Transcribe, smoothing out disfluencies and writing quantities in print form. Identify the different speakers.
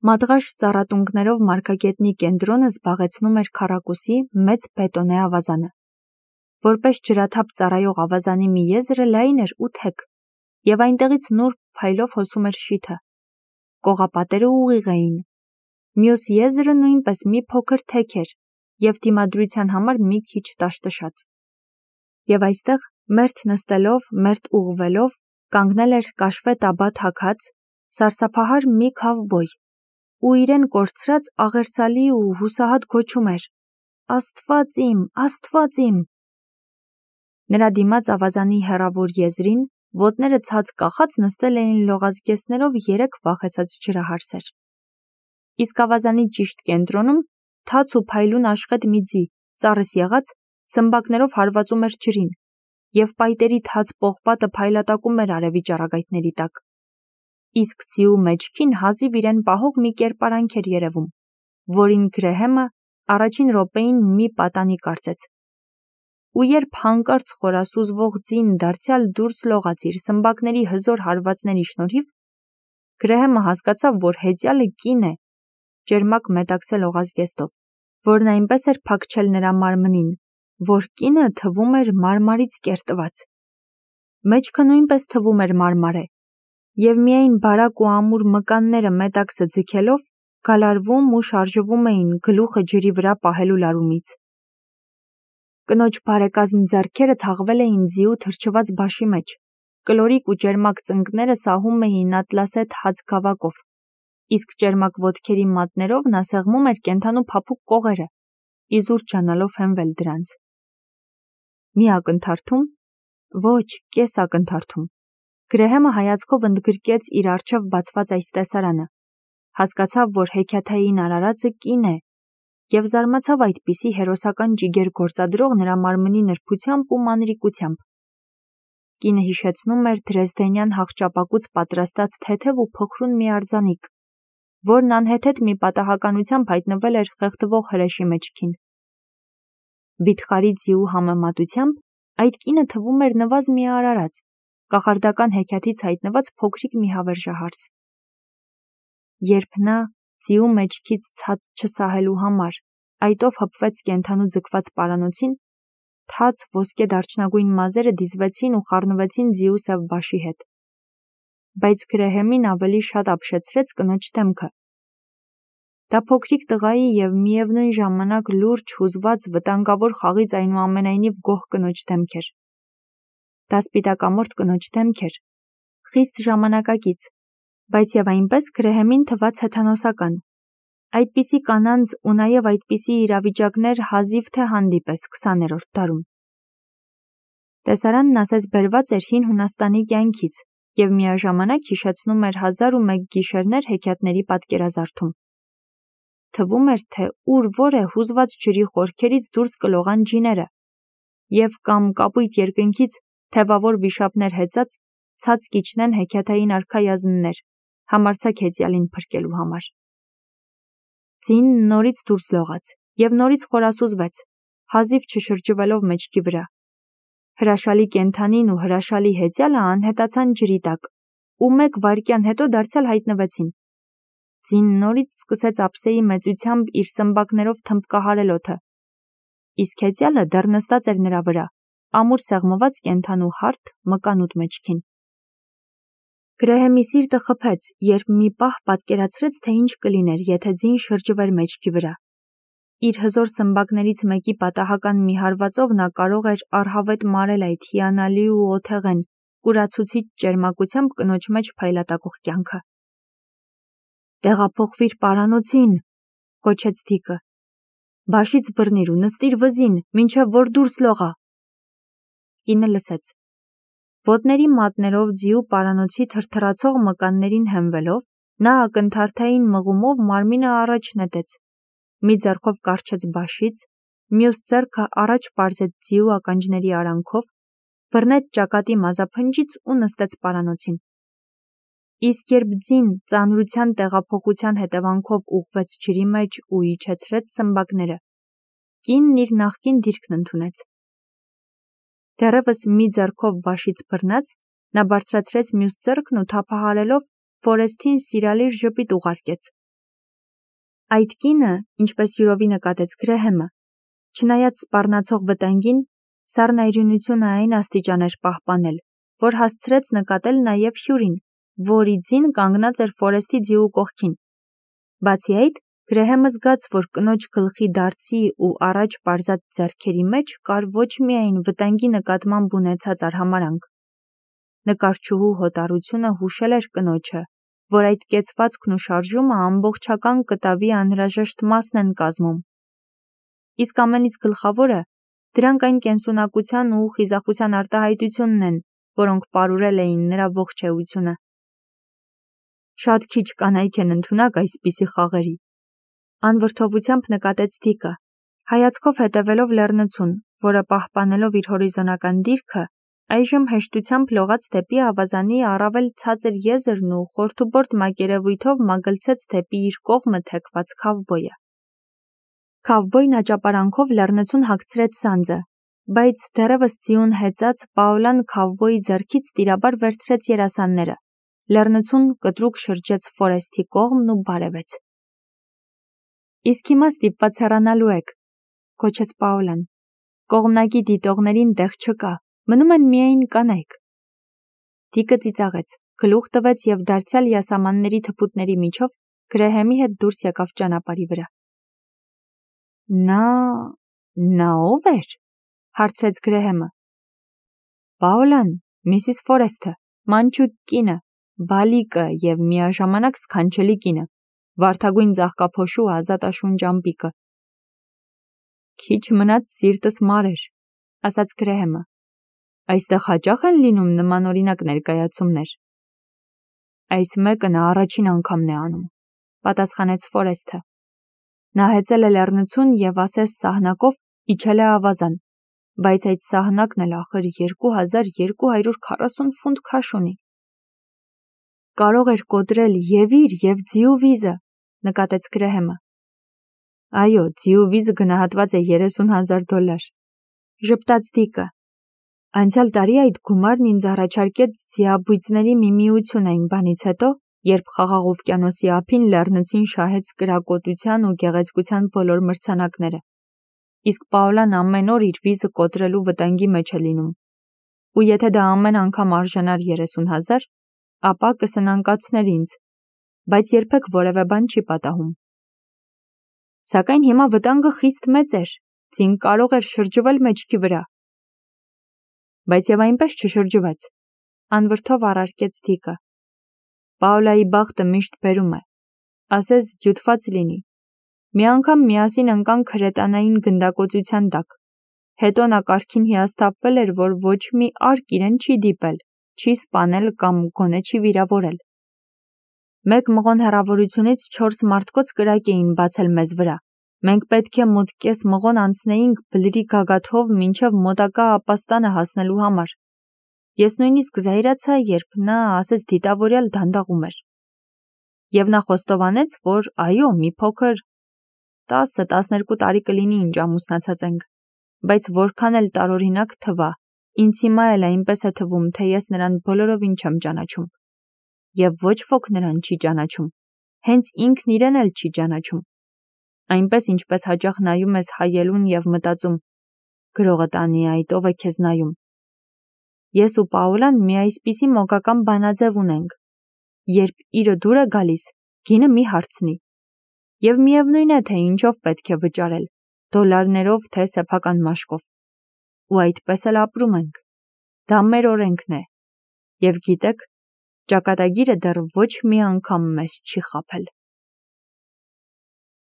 Speaker 1: Մադղաշ ծառատունկներով մարգագետնի կենտրոնը զբաղեցնում էր քառակուսի մեծ բետոնե ավազանը։ Որպես ջրաթափ ծառայող ավազանի մի եզրը լայն էր ու թեք, և այնտեղից նուրբ փայլով հոսում էր շիթը։ Կողապատերը ուղիղ էին։ Մյուս եզրը նույնպես մի փոքր թեք էր և դիմադրության համար մի քիչ տաշտշաց։ Եվ այստեղ, մերթ նստելով, մերթ ուղղվելով, կանգնել էր կաշվե տաբա թաքած, սարսափահար մի քավբոյ, ու իրեն կորցրած աղերսալի ու հուսահատ գոչում էր. «Աստված իմ, Աստված իմ»։ Նրա դիմաց ավազանի հեռավոր եզրին, ոտները ցած կախած նստել էին լողազգեստներով 3 վախեցած ջրահարսեր։ Իսկ ավազանի ճիշտ կենտրոնում, թաց ու փայլուն աշխետ մի ձի, ծառս եղած, սմբակներով հարվածում էր ջրին, և պայտերի թաց պողպատը փայլատակում էր արևի ճառագայթների տակ։ Իսկ ձիու մեջքին հազիվ իրեն պահող մի կերպարանք էր երևում, որին Գրեհեմը առաջին րոպեին մի պատանի կարծեց։ Ու երբ հանկարծ խորասուզվող ձին դարձյալ դուրս լողաց իր սմբակների հզոր հարվածների շնորհիվ, Գրեհեմը հասկացավ, որ հեծյալը կին է, ճերմակ մետաքսե լողազգեստով, որն այնպես էր փակչել նրա մարմնին, որ կինը թվում էր մարմարից կերտված։ Մեջքը նույնպես թվում էր մարմարե, և միայն բարակ ու ամուր մկանները մետաքսը ձգելով, գալարվում ու շարժվում էին գլուխը ջրի վրա պահելու լարումից։ Կնոջ բարեկազմ ձեռքերը թաղվել էին ձիու թրջված բաշի մեջ, կլորիկ ու ճերմակ ծնկները սահում էին ատլասետ հաց գավակով, իսկ ճերմակ ոտքերի մատներով նա սեղմում էր կենդանու փափուկ կողերը, իզուր ջանալով հենվել դրանց։ Մի ակնթարթում, ոչ, կես ակնթարթում, Գրեհեմը հայացքով ընդգրկեց իր առջև բացված այս տեսարանը, հասկացավ, որ հեքիաթային արարածը կին է, և զարմացավ այդպիսի հերոսական ջիգեր գործադրող նրա մարմնի նրբությամբ ու մանրիկությամբ։ Կինը հիշեցնում էր դրեզդենյան հաղճապակուց պատրաստած թեթև ու փխրուն մի արձանիկ, որն անհեթեթ մի պատահականությամբ հայտնվել էր խեղդվող հրեշի մեջքին։ Վիթխարի ձիու համեմատությամբ այդ կինը թվում էր նվազ մի արարած, կախարդական հեքիաթից հայտնված փոքրիկ մի հավերժահարս։ Երբ նա, ձիու մեջքից ցած չսահելու համար, այտով հպվեց կենդանու ձգված պարանոցին, թաց ոսկե դարչնագույն մազերը դիզվեցին ու խառնվեցին ձիու սև բաշի հետ։ Բայց Գրեհեմին ավելի շատ ապշեցրեց կնոջ դեմքը։ Դա փոքրիկ տղայի և միևնույն ժամանակ լուրջ, հուզված, վտանգավոր խաղից այնուամենայնիվ գոհ կնոջ դեմք էր։ Դա սպիտակամորթ կնոջ դեմք էր, խիստ ժամանակակից, բայց և այնպես Գրեհեմին թվաց հեթանոսական։ Այդպիսի կանանց ու նաև այդպիսի իրավիճակներ հազիվ թե հանդիպես 20-րդ դարում։ Տեսարանն ասես բերված էր հին Հունաստանի կյանքից և միաժամանակ հիշեցնում էր 1001 գիշերներ հեքիաթների պատկերազարդում։ Թվում էր, թե ուր որ է հուզված ջրի խորքերից դուրս կլողան ջիները, և կամ կապույտ երկնքից թևավոր վիշապներ հեծած ցած կիջնեն հեքիաթային արքայազններ, համարձակ հեծյալին փրկելու համար։ Ձին նորից դուրս լողաց և նորից խորասուզվեց, հազիվ չշրջվելով մեջքի վրա։ Հրաշալի կենդանին ու հրաշալի հեծյալը անհետացան ջրի տակ ու 1 վայրկյան հետո դարձյալ հայտնվեցին։ Ձին նորից սկսեց ափսեի մեծությամբ իր սմբակներով թմբկահարել օդը, իսկ հեծյալը դեռ նստած էր նրա վրա, ամուր սեղմված կենդանու հարթ մկանուտ մեջքին։ Գրեհեմի սիրտը խփեց, երբ մի պահ պատկերացրեց, թե ինչ կլիներ, եթե ձին շրջվեր մեջքի վրա։ Իր հզոր սմբակներից մեկի պատահական մի հարվածով նա կարող էր առհավետ մարել այդ հիանալի ու օթեղեն, կուրացուցիչ ճերմակությամբ կնոջ մեջ փայլատակող կյանքը։ «Տեղափոխվիր պարանոցին», կոչեց դիկը։ «Բաշից բռնիր ու նստիր վզին, մինչև որ դուրս լողա»։ Կինը լսեց։ Ոտների մատներով ձիու պարանոցի թրթռացող մկաններին հենվելով, նա ակնթարթային մղումով մարմինը առաջ նետեց, մի ձեռքով կառչեց բաշից, մյուս ձեռքը առաջ պարզեց ձիու ականջների արանքով, բռնեց ճակատի մազափնջից ու նստեց պարանոցին։ Իսկ երբ ձին ծանրության տեղափոխության հետևանքով ուղղվեց ջրի մեջ ու իջեցրեց սմբակները, կինն իր նախկին դիրքն ընդունեց։ Դեռևս մի ձեռքով բաշից բռնած, նա բարձրացրեց մյուս ձեռքն ու թափահարելով Ֆորեստին սիրալիր ժպիտ ուղարկեց, Այդ կինը, ինչպես յուրովի նկատեց Գրեհեմը, չնայած սպառնացող վտանգին, սառնայրենությունը այն աստիճան էր պահպանել, որ հասցրեց նկատել նաև Հյուրին, որի ձին կանգնած էր Ֆորեսթի ձիու կողքին։ Բացի այդ, Գրեհեմը զգաց, որ կնոջ գլխի դարձի ու առաջ պարզած ձեռքերի մեջ կար ոչ միայն վտանգի նկատմամբ ունեցած արհամարհանք։ Նկարչուհու հոտառությունը հուշել էր կնոջը, որ այդ կեցվածքն ու շարժումը ամբողջական կտավի անհրաժեշտ մասն են կազմում։ Իսկ ամենից գլխավորը, դրանք այն կենսունակության ու խիզախության արտահայտությունն են, որոնք պարուրել էին նրա ողջ էությունը։ Շատ քիչ կանայք են ընդունակ այսպիսի խաղերի։ Անվրդովությամբ նկատեց Դիկը, հայացքով հետևելով լեռնցուն, որը պահպանելով իր հորիզոնական դիրքը, այժմ հեշտությամբ լողաց դեպի ավազանի առավել ցածր եզրն ու խորթուբորդ մակերևույթով մագլցեց դեպի իր կողմը թեքված քավբոյը։ Քավբոյն աճապարանքով լեռնցուն հագցրեց սանձը, բայց դեռևս ձիուն հեծած Պաոլան քավբոյի ձեռքից տիրաբար վերցրեց երասանները։ Լեռնցուն կտրուկ շրջեց Ֆորեսթի կողմն ու բարևեց։ Իսկ հիմա ստիպված հեռանալու եք, կոչեց Պաոլան։ Կողմնակի դիտողներին տեղ չկա, մնում են միայն կանայք։ Դիկը ծիծաղեց, գլուխ տվեց և դարձյալ յասամանների թփուտների միջով Գրեհեմի հետ դուրս եկավ ճանապարհի վրա։ Նա ով էր, հարցրեց Գրեհեմը։ Պաոլան, Միսիս Ֆորեսթը, մանչուկ կինը, բալիկը և միաժամանակ սքանչելի կինը, վարդագույն ծաղկափոշու ազատաշունչ ամպիկը։ Քիչ մնաց սիրտս մարեր, ասաց Գրեհեմը։ Այստեղ հաճախ են լինում նմանօրինակ ներկայացումներ։ Այս մեկը նա առաջին անգամն է անում, պատասխանեց Ֆորեսթը։ Նա հեծել է լեռնցուն և ասես սահնակով իջել է ավազան, բայց այդ սահնակն էլ ախր 2240 ֆունտ քաշ ունի։ Կարող էր կոտրել և իր և ձիու վիզը, նկատեց Գրեհեմը։ Այո, ձիու վիզը գնահատված է $30,000, ժպտաց Դիկը։ Անցյալ տարի այդ գումարն ինձ առաջարկեց ձիաբույծների մի միություն այն բանից հետո, երբ Խաղաղ օվկիանոսի ափին լեռնցին շահեց կրակոտության ու գեղեցկության բոլոր մրցանակները։ Իսկ Պաոլան ամեն օր իր վիզը կոտրելու վտանգի մեջ է լինում։ Ու եթե դա ամեն անգամ արժանար 30,000, ապա կսնանկացներ ինձ, բայց երբեք որևէ բան չի պատահում։ Սակայն հիմա վտանգը խիստ մեծ էր, ձին կարող էր շրջվել մեջքի վրա։ Բայց և այնպես չշրջվեց, անվրդով առարկեց Դիկը։ Պաոլայի բախտը միշտ բերում է, ասես ջութված լինի։ Մի անգամ միասին ընկանք հրետանային գնդակոծության տակ։ Հետո նա կարգին հիասթափվել էր, որ ոչ մի արկ իրեն չի դիպել, չի սպանել կամ գոնե չի վիրավորել։ Մեկ մղոն հեռավորությունից 4 մարդկոց կրակ էին բացել մեզ վրա։ Մենք պետք է մոտ կես մղոն անցնեինք բլրի գագաթով մինչև մոտակա ապաստանը հասնելու համար։ Ես նույնիսկ զայրացա, երբ նա ասես դիտավորյալ դանդաղում էր։ Եվ նա խոստովանեց, որ այո, մի փոքր 10-12 տարի կլինի ինչ ամուսնացած ենք, բայց որքան էլ տարօրինակ թվա, ինձ հիմա էլ այնպես է թվում, թե ես նրան բոլորովին չեմ ճանաչում։ Եվ ոչ ոք նրան չի ճանաչում, հենց ինքն իրեն էլ չի ճանաչում։ Այնպես ինչպես հաճախ նայում ես հայելուն և մտածում. գրողը տանի այդ ով է քեզ նայում։ Ես ու Պաոլան մի այսպիսի մոգական բանաձև ունենք, երբ իրը դուր է գալիս, գինը մի հարցնի։ Եվ միևնույն է, թե ինչով պետք է վճարել, դոլարներով թե սեփական մաշկով։ Ու այդպես էլ ապրում ենք։ Դա մեր օրենքն է։ Եվ գիտեք, ճակատագիրը դեռ ոչ մի անգամ մեզ չի խաբել։